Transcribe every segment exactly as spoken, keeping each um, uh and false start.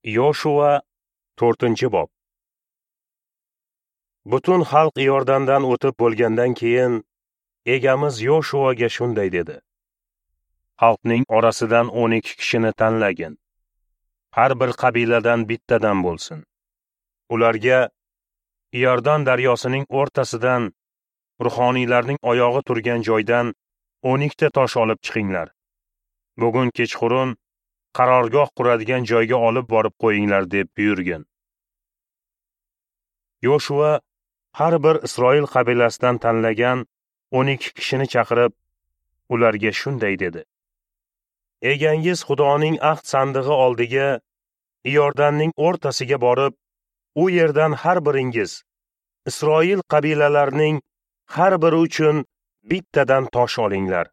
Yoshua to'rtinchi bob. Butun xalq Iordandan o'tib bo'lgandan keyin Egamiz Yoshuaga shunday dedi: Xalqning orasidan o'n ikki kishini tanlagin. Har bir qabiladan bittadan bo'lsin. Ularga Iordan daryosining o'rtasidan ruhoniylarning oyog'i turgan joydan o'n ikkita tosh olib chiqinglar. Bugun kechqurun qarorgoh quradigan joyga olib borib qo'yinglar deb buyurgin. Yoshua har bir Isroil qabilasidan tanlagan o'n ikki kishini chaqirib, ularga shunday dedi: Egangiz Xudoning ahd sandig'i oldiga Iordanning o'rtasiga borib, u yerdan har biringiz Isroil qabilalarining har biri uchun bittadan tosh olinglar.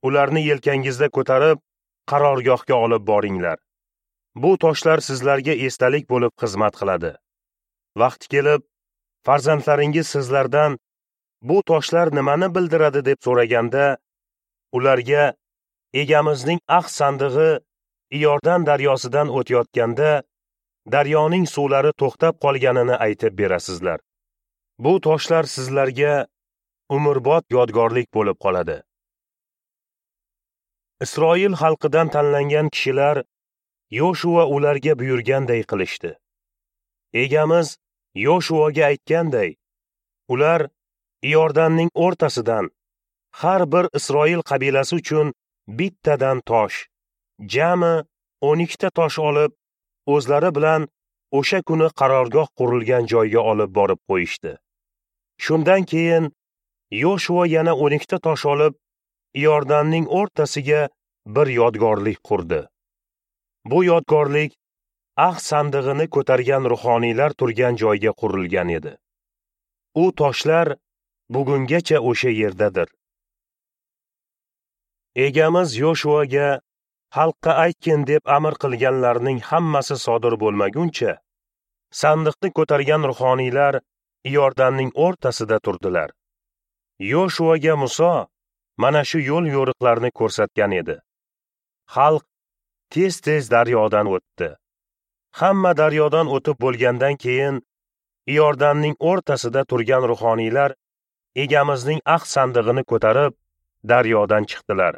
Ularni yelkangizda ko'tarib, qarorgohga olib boringlar. Bu toshlar sizlarga esdalik bo'lib xizmat qiladi. Vaqti kelib, farzandlaringiz sizlardan bu toshlar nimani bildiradi deb so'raganda, ularga Egamizning ahd sandig'i Iordan daryosidan o'tayotganda daryoning suvlari to'xtab qolganini aytib berasizlar. Bu toshlar sizlarga umrbod yodgorlik bo'lib qoladi. Isroil xalqidan tanlangan kishilar Yoshua ularga buyurganday qilishdi. Egamiz Yoshuaga aytganday, ular Iordanning o'rtasidan har bir Isroil qabilasi uchun bittadan tosh, jami o'n ikkita tosh olib, o'zlari bilan o'sha kuni qarorgoh qurilgan joyga olib borib qo'yishdi. Shundan keyin Yoshua yana o'n ikkita tosh olib, Iordanning o'rtasiga bir yodgorlik qurdi. Bu yodgorlik ahd sandig'ini ko'targan ruhoniylar turgan joyga qurilgan edi. U toshlar bugungacha o'sha yerdadir. Egamiz Yoshuaga xalqqa aytgin deb amr qilganlarning hammasi sodir bo'lmaguncha, sandiqni ko'targan ruhoniylar Iordanning o'rtasida turdilar. Yoshuaga Muso mana shu yo'l yo'riqlarni ko'rsatgan edi. Xalq tez-tez daryodan o'tdi. Hamma daryodan o'tib bo'lgandan keyin Iordanning o'rtasida turgan ruhoniylar Egamizning ahd sandig'ini ko'tarib daryodan chiqdilar.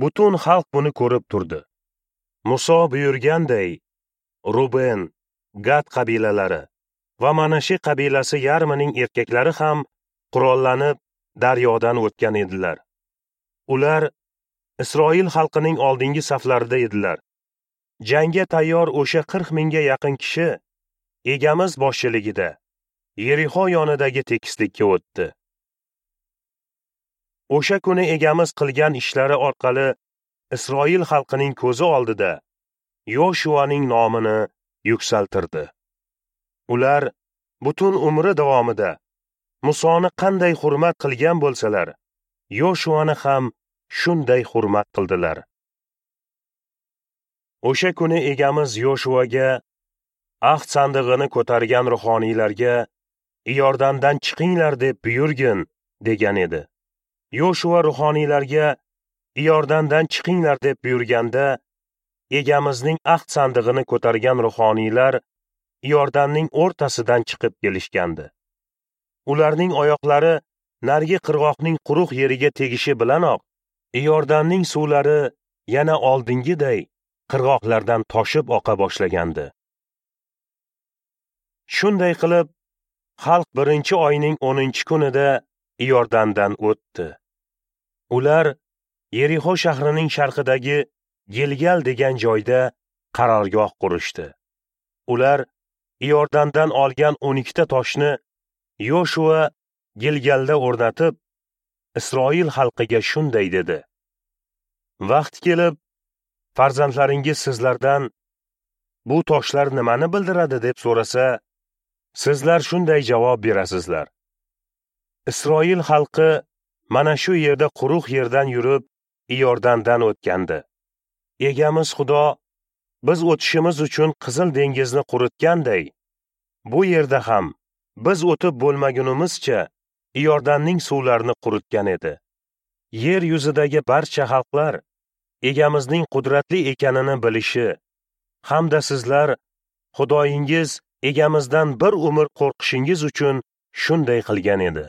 Butun xalq buni ko'rib turdi. Muso buyurganday, Ruben, Gad qabilalari va Manashi qabilasi yarmining erkaklari ham qurollanib daryodan o'tgan edilar. Ular Isroil xalqining oldingi saflarida edilar. Jangga tayyor o'sha qirq mingga yaqin kishi Egamiz boshchiligida Yerixo yonidagi tekislikka o'tdi. O'sha kuni Egamiz qilgan ishlari orqali Isroil xalqining ko'zi oldida Yoshuaning nomini yuksaltirdi. Ular butun umri davomida Musoni qanday hurmat qilgan bo'lsalar, Yoshuani ham shunday hurmat qildilar. O'sha kuni Egamiz Yoshuaga ahd sandig'ini ko'targan ruhoniylarga Iordandan chiqinglar deb buyurgin degan edi. Yoshua ruhoniylarga Iordandan chiqinglar deb buyurganda, Egamizning ahd sandig'ini ko'targan ruhoniylar Iordanning o'rtasidan chiqib kelishgandi. Ularning oyoqlari narigi qirg'oqning quruq yeriga tegishi bilanoq Iordanning suvlari yana oldingiday qirg'oqlardan toshib oqa boshlagandi. Shunday qilib, xalq birinchi oyning o'ninchi kunida Iordandan o'tdi. Ular Yerixo shahrining sharqidagi Gilgal degan joyda qarorgoh qurishdi. Ular Iordandan olgan o'n ikkita toshni Yoshua Gilgalda o'rnatib, Isroil xalqiga shunday dedi: Vaqt kelib, farzandlaringiz sizlardan bu toshlar nimani bildiradi deb so'rasa, sizlar shunday javob berasizlar: Isroil xalqi mana shu yerda quruq yerdan yurib Iordandan o'tgandi. Egamiz Xudo biz o'tishimiz uchun Qizil dengizni quritganday, bu yerda ham biz o'tib bo'lmagunimizcha Iordanning suvlarini quritgan edi. Yer yuzidagi barcha xalqlar Egamizning qudratli ekanini bilishi Hamda sizlar Xudoyingiz egamizdan bir umr qo'rqishingiz uchun shunday qilgan edi.